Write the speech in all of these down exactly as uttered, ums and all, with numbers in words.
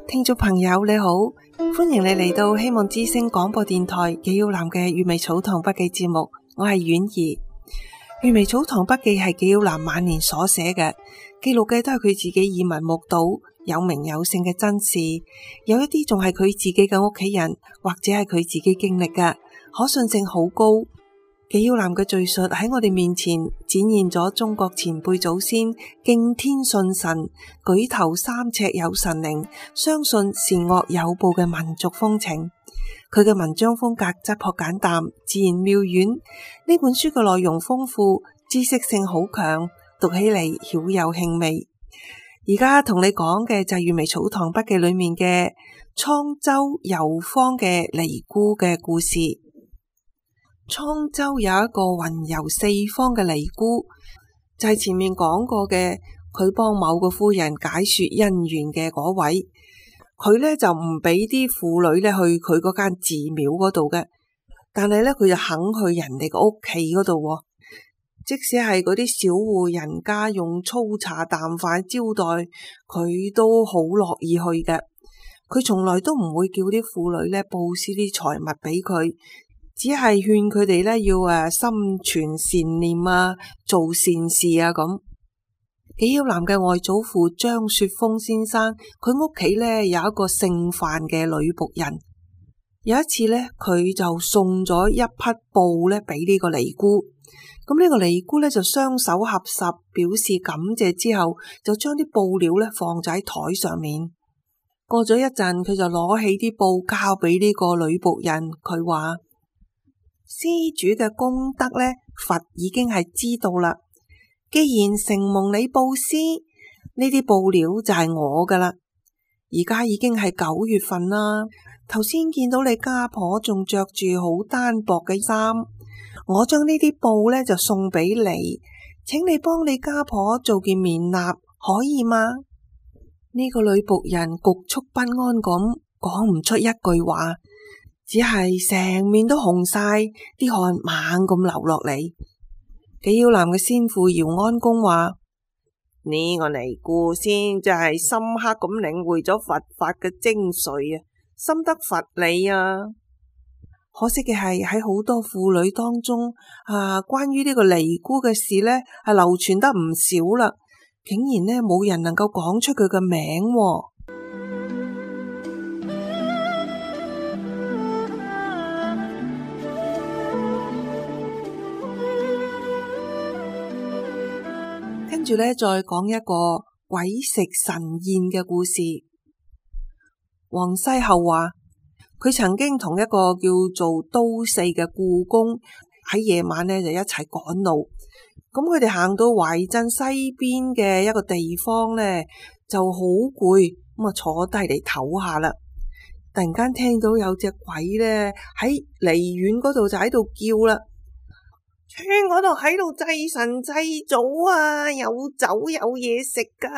聽眾朋友你好，歡迎你嚟到希望之聲廣播電台紀曉嵐嘅閱微草堂筆記節目，我係婉兒。閱微草堂筆記係紀曉嵐晚年所寫嘅，記錄嘅都係佢自己耳聞目睹有名有姓嘅真事，有一啲仲係佢自己嘅屋企人或者係佢自己經歷嘅，可信性好高。紀曉嵐嘅敘述喺我哋面前展現咗中國前輩祖先敬天信神、舉頭三尺有神靈、相信善惡有報嘅民族風情。佢嘅文章風格質樸簡淡、自然妙遠。呢本書嘅內容豐富，知識性好強，讀起嚟曉有興味。而家同你講嘅就係閱微草堂筆記裏面嘅滄州遊坊嘅尼姑嘅故事。滄州有一個雲遊四方嘅尼姑，就係、是、前面講過嘅，佢幫某個夫人解說姻緣嘅嗰位。佢呢就唔俾啲婦女呢去佢嗰間寺廟嗰度嘅，但係呢，佢就肯去人哋個屋企嗰度，即使係嗰啲小戶人家用粗茶淡飯招待，佢都好樂意去嘅。佢從來都唔會叫啲婦女呢布施啲財物俾佢。只係勸佢哋咧要誒心存善念啊，做善事啊咁。紀曉嵐嘅外祖父張雪峰先生，佢屋企咧有一個姓范嘅女僕人。有一次咧，佢就送咗一匹布咧俾呢個尼姑。咁呢個尼姑咧就雙手合十表示感謝之後，就將啲布料咧放咗喺台上面。過咗一陣，佢就攞起啲布交俾呢個女僕人，佢話：施主嘅功德呢，佛已經係知道啦。既然承蒙你布施，呢啲布料就係我噶啦。而家已經係九月份啦，頭先見到你家婆仲着住好單薄嘅衫，我將呢啲布呢就送俾你，請你幫你家婆做件棉衲，可以嗎？呢個女僕人局促不安咁講唔出一句話。只係成面都紅晒，啲汗猛咁流落嚟。紀曉嵐嘅先父姚安公話：呢個尼姑先就係深刻咁領會咗佛法嘅精髓啊，深得佛理啊。可惜嘅係喺好多婦女當中啊，關於呢個尼姑嘅事呢，係流傳得唔少啦，竟然呢冇人能夠講出佢嘅名喎。跟住咧，再講一個鬼食神宴嘅故事。王西后話，佢曾經同一個叫做都四嘅故宮喺夜晚呢就一齊趕路。咁佢哋行到懷鎮西邊嘅一個地方呢，就好攰，咁啊坐低嚟唞下啦。突然間聽到有隻鬼呢喺離遠嗰度就喺度叫啦。村嗰度喺度祭神祭祖啊，有酒有嘢食噶，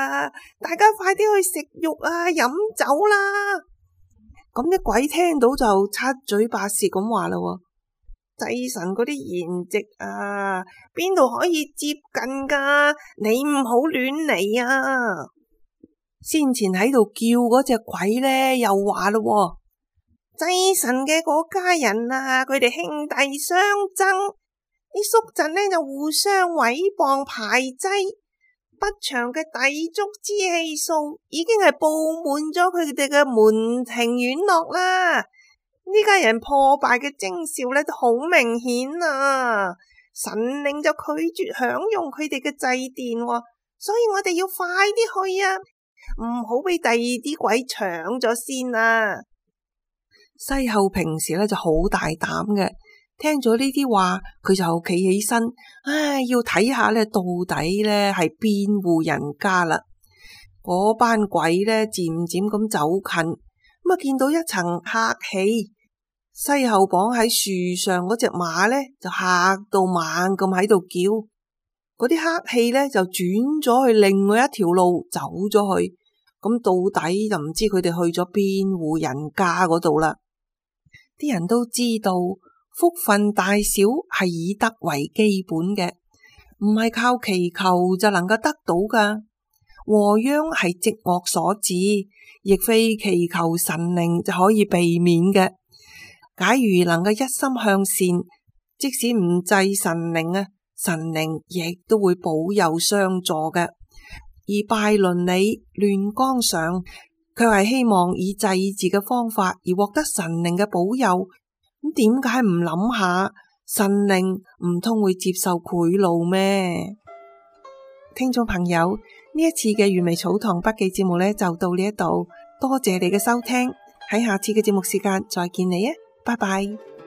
大家快啲去食肉啊，飲酒啦！咁啲鬼聽到就七嘴八舌咁話啦，祭神嗰啲筵席啊，邊度可以接近噶？你唔好亂嚟啊！先前喺度叫嗰隻鬼呢，又話啦，祭神嘅嗰家人啊，佢哋兄弟相爭。啲宿臣呢就互相毀謗排擠，不祥嘅抵觸之氣數已經係布滿咗佢哋嘅門庭院落啦。呢家人破敗嘅徵兆呢都好明顯啊！神靈就拒絕享用佢哋嘅祭奠，所以我哋要快啲去啊，唔好俾第二啲鬼搶咗先啊！西后平時呢就好大膽嘅。聽咗呢啲話，佢就企起身，唉，要睇下咧，到底咧係邊戶人家啦。嗰班鬼咧漸漸咁走近，咁啊見到一層黑氣，西后綁喺樹上嗰隻馬咧就嚇到猛咁喺度叫，嗰啲黑氣咧就轉咗去另外一條路走咗去，咁到底就唔知佢哋去咗邊戶人家嗰度啦。啲人都知道。福分大小係以德為基本嘅，唔係靠祈求就能夠得到噶。禍殃係積惡所致，亦非祈求神靈就可以避免嘅。假如能夠一心向善，即使唔祭神靈啊，神靈亦都會保佑相助嘅。而拜倫理亂綱常，卻係希望以祭祀嘅方法而獲得神靈嘅保佑。咁點解唔諗下神靈唔通會接受賄賂咩？聽眾朋友，呢一次嘅原味草堂筆記節目呢，就到呢一度，多謝你嘅收聽，喺下次嘅節目時間再見你啊，拜拜。